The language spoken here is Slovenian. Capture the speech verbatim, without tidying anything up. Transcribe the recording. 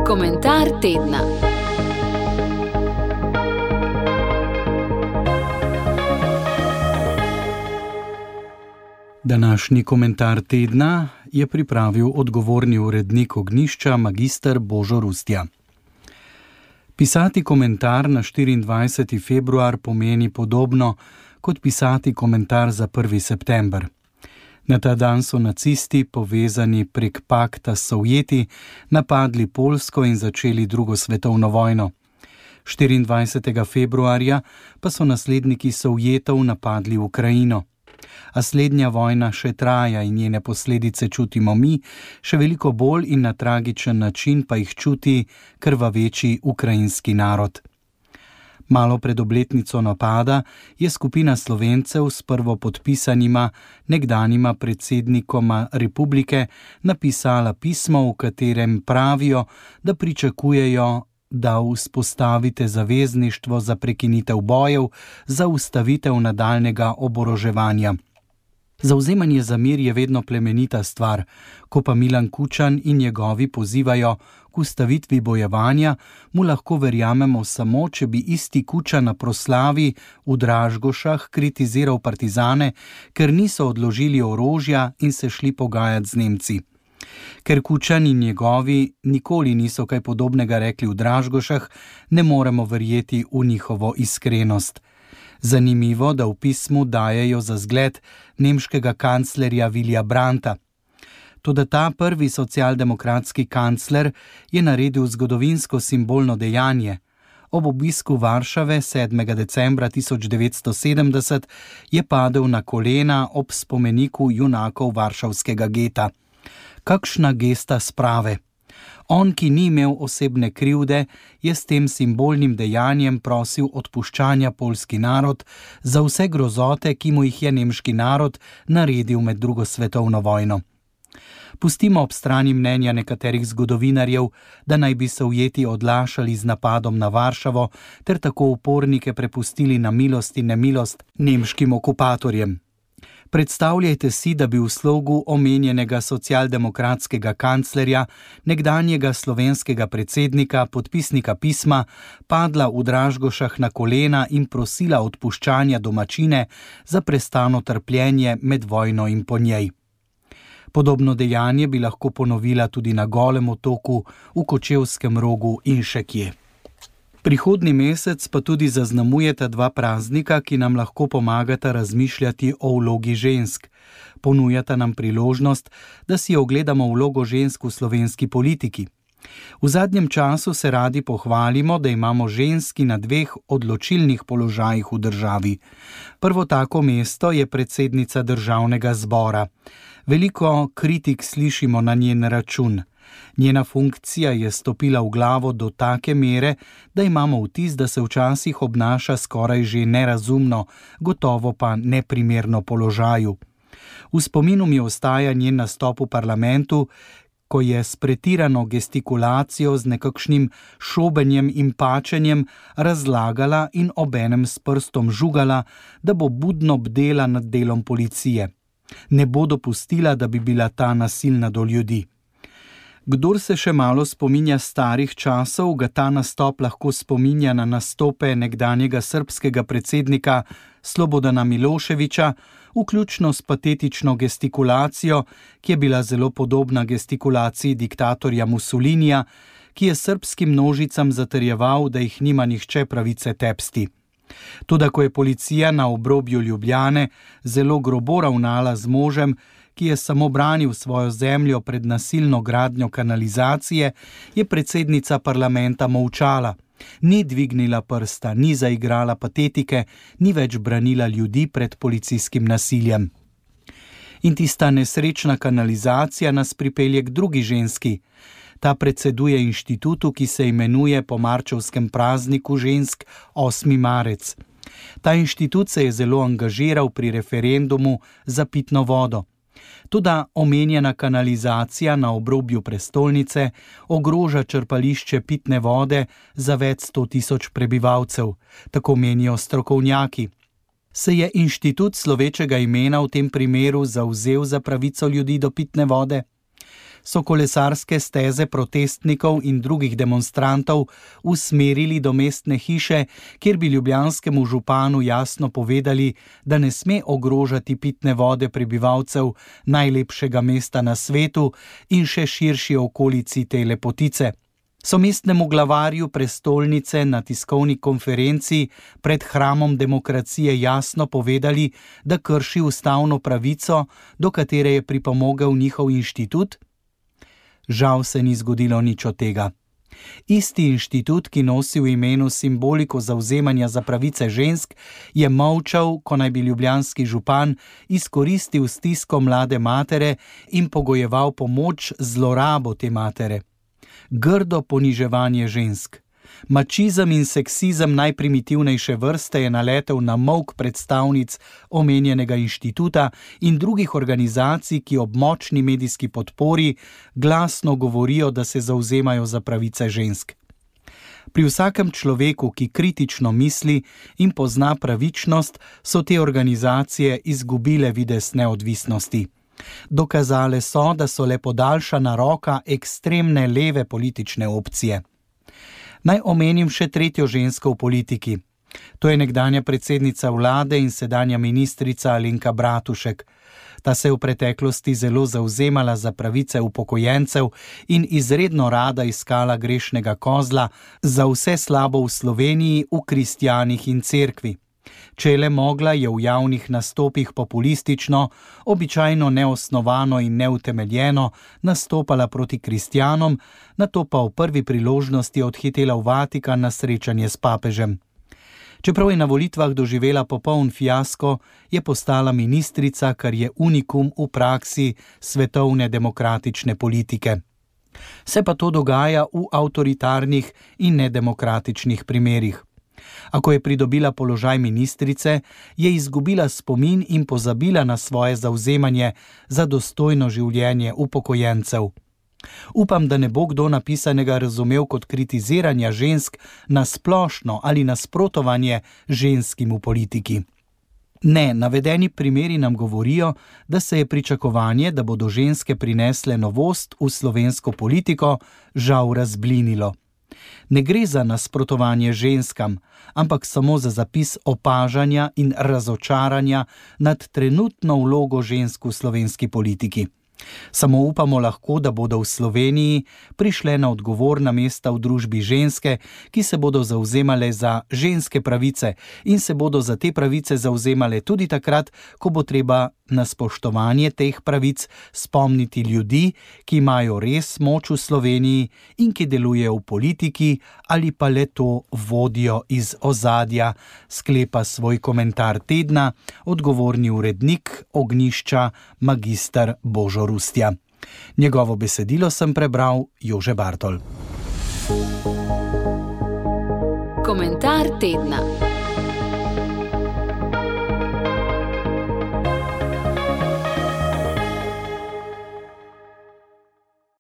Komentar tedna. Današnji komentar tedna je pripravil odgovorni urednik Ognjišča magister Božo Rustja. Pisati komentar na štiriindvajseti februar pomeni podobno kot pisati komentar za prvi september. Na ta dan so nacisti, povezani prek pakta s Sovjeti, napadli Poljsko in začeli drugo svetovno vojno. štiriindvajsetega februarja pa so nasledniki Sovjetov napadli Ukrajino. A slednja vojna še traja in njene posledice čutimo mi, še veliko bolj in na tragičen način pa jih čuti krvaveči ukrajinski narod. Malo pred obletnico napada je skupina Slovencev s prvopodpisanima nekdanjima predsednikoma republike napisala pismo, v katerem pravijo, da pričakujejo, da vzpostavite zavezništvo za prekinitev bojev, za ustavitev nadaljnjega oboroževanja. Zavzemanje za mir je vedno plemenita stvar, ko pa Milan Kučan in njegovi pozivajo k ustavitvi bojevanja, mu lahko verjamemo samo, če bi isti Kučan na proslavi v Dražgošah kritiziral partizane, ker niso odložili orožja in se šli pogajati z Nemci. Ker Kučan in njegovi nikoli niso kaj podobnega rekli v Dražgošah, ne moremo verjeti v njihovo iskrenost. Zanimivo, da v pismu dajejo za zgled nemškega kanclerja Willija Brandta. Toda ta prvi socialdemokratski kancler je naredil zgodovinsko simbolno dejanje. Ob obisku Varšave sedmega decembra tisoč devetsto sedemdeset je padel na kolena ob spomeniku junakov varšavskega geta. Kakšna gesta sprave! On, ki ni imel osebne krivde, je s tem simbolnim dejanjem prosil odpuščanja poljski narod za vse grozote, ki mu jih je nemški narod naredil med drugo svetovno vojno. Pustimo ob strani mnenja nekaterih zgodovinarjev, da naj bi Sovjeti odlašali z napadom na Varšavo ter tako upornike prepustili na milost in nemilost nemškim okupatorjem. Predstavljajte si, da bi v slogu omenjenega socialdemokratskega kanclerja, nekdanjega slovenskega predsednika, podpisnika pisma, padla v Dražgošah na kolena in prosila odpuščanja domačine za prestano trpljenje med vojno in po njej. Podobno dejanje bi lahko ponovila tudi na Golem otoku, v Kočevskem Rogu in še kje. Prihodnji mesec pa tudi zaznamujeta dva praznika, ki nam lahko pomagata razmišljati o vlogi žensk. Ponujata nam priložnost, da si ogledamo vlogo žensk v slovenski politiki. V zadnjem času se radi pohvalimo, da imamo ženski na dveh odločilnih položajih v državi. Prvo tako mesto je predsednica državnega zbora. Veliko kritik slišimo na njen račun. Njena funkcija je stopila v glavo do take mere, da imamo vtis, da se včasih obnaša skoraj že nerazumno, gotovo pa neprimerno položaju. V spominu mi ostaja njen nastop v parlamentu, ko je s pretirano gestikulacijo, z nekakšnim šobenjem in pačenjem razlagala in obenem s prstom žugala, da bo budno bdela nad delom policije. Ne bo dopustila, da bi bila ta nasilna do ljudi. Kdor se še malo spominja starih časov, ga ta nastop lahko spominja na nastope nekdanjega srbskega predsednika Slobodana Miloševića, vključno s patetično gestikulacijo, ki je bila zelo podobna gestikulaciji diktatorja Mussolinija, ki je srbskim množicam zatrjeval, da jih nima nihče pravice tepsti. Toda ko je policija na obrobju Ljubljane zelo grobo ravnala z možem, ki je samo branil svojo zemljo pred nasilno gradnjo kanalizacije, je predsednica parlamenta molčala. Ni dvignila prsta, ni zaigrala patetike, ni več branila ljudi pred policijskim nasiljem. In tista nesrečna kanalizacija nas pripelje k drugi ženski. Ta predseduje inštitutu, ki se imenuje po marčevskem prazniku žensk osmi marec. Ta inštitut se je zelo angažiral pri referendumu za pitno vodo. Toda omenjena kanalizacija na obrobju prestolnice ogroža črpališče pitne vode za več sto tisoč prebivalcev, tako menijo strokovnjaki. Se je inštitut slovečega imena v tem primeru zavzel za pravico ljudi do pitne vode? so kolesarske steze protestnikov in drugih demonstrantov usmerili do mestne hiše, kjer bi ljubljanskemu županu jasno povedali, da ne sme ogrožati pitne vode prebivalcev najlepšega mesta na svetu in še širši okolici te lepotice. So mestnemu glavarju prestolnice na tiskovni konferenci pred hramom demokracije jasno povedali, da krši ustavno pravico, do katere je pripomogel njihov inštitut? Žal se ni zgodilo nič od tega. Isti inštitut, ki nosi v imenu simboliko zavzemanja za pravice žensk, je molčal, ko naj bi ljubljanski župan izkoristil stisko mlade matere in pogojeval pomoč z zlorabo te matere. Grdo poniževanje žensk. Mačizem in seksizem najprimitivnejše vrste je naletel na molk predstavnic omenjenega inštituta in drugih organizacij, ki ob močni medijski podpori glasno govorijo, da se zavzemajo za pravice žensk. Pri vsakem človeku, ki kritično misli in pozna pravičnost, so te organizacije izgubile videz neodvisnosti. Dokazale so, da so le podaljšana roka ekstremne leve politične opcije. Naj omenim še tretjo žensko v politiki. To je nekdanja predsednica vlade in sedanja ministrica Alenka Bratušek. Ta se je v preteklosti zelo zavzemala za pravice upokojencev in izredno rada iskala grešnega kozla za vse slabo v Sloveniji, v kristjanih in cerkvi. Če je le mogla, je v javnih nastopih populistično, običajno neosnovano in neutemeljeno nastopala proti kristjanom, nato pa v prvi priložnosti odhitela v Vatikan na srečanje s papežem. Čeprav je na volitvah doživela popoln fiasko, je postala ministrica, kar je unikum v praksi svetovne demokratične politike. Se pa to dogaja v avtoritarnih in nedemokratičnih primerih. A ko je pridobila položaj ministrice, je izgubila spomin in pozabila na svoje zavzemanje za dostojno življenje upokojencev. Upam, da ne bo kdo napisanega razumel kot kritiziranja žensk na splošno ali nasprotovanje ženskim v politiki. Ne, navedeni primeri nam govorijo, da se je pričakovanje, da bodo ženske prinesle novost v slovensko politiko, žal razblinilo. Ne gre za nasprotovanje ženskam, ampak samo za zapis opažanja in razočaranja nad trenutno vlogo žensk v slovenski politiki. Samo upamo lahko, da bodo v Sloveniji prišle na odgovorna mesta v družbi ženske, ki se bodo zavzemale za ženske pravice in se bodo za te pravice zavzemale tudi takrat, ko bo treba na spoštovanje teh pravic spomniti ljudi, ki imajo res moč v Sloveniji in ki delujejo v politiki ali pa le to vodijo iz ozadja, sklepa svoj komentar tedna odgovorni urednik Ognjišča magister Božo Rustja. Njegovo besedilo sem prebral Jože Bartol. Komentar tedna.